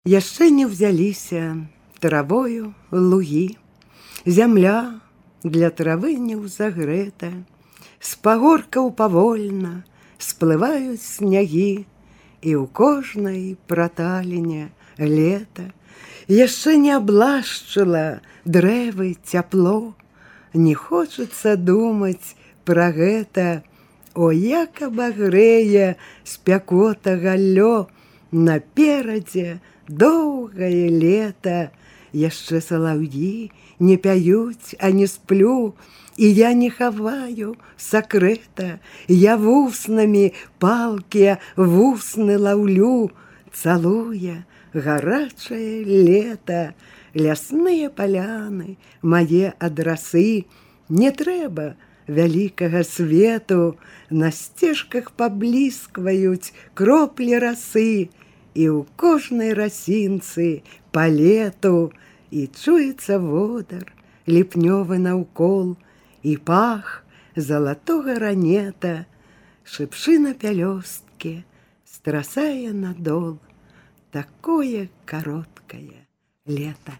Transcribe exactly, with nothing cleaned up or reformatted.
Яшчэ не ўзяліся травою лугі, зямля для травы не ўзагрэта, з пагоркаў павольна сплываюць снягі, і ў кожнай праталіне лета яшчэ не аблашчыла дрэвы цяпло. Не хочацца думаць пра гэта, о, як абагрэе спякота галлё, наперадзе доўгае лета. Яшчэ салаўі не пяюць, а не сплю, і я не хаваю сакрэта. Я вуснамі палкія вусны лаўлю, цалуе гарачае лета. Лясныя паляны мае адрасы, не трэба вялікага свету, на сцежках пабліскваюць кроплі расы, і ў кожнай расінцы па лету, і чуецца водар ліпнёвы наўкол, і пах залатога ранета, шыпшына пялёсткі страсае надол. Такое кароткае лета.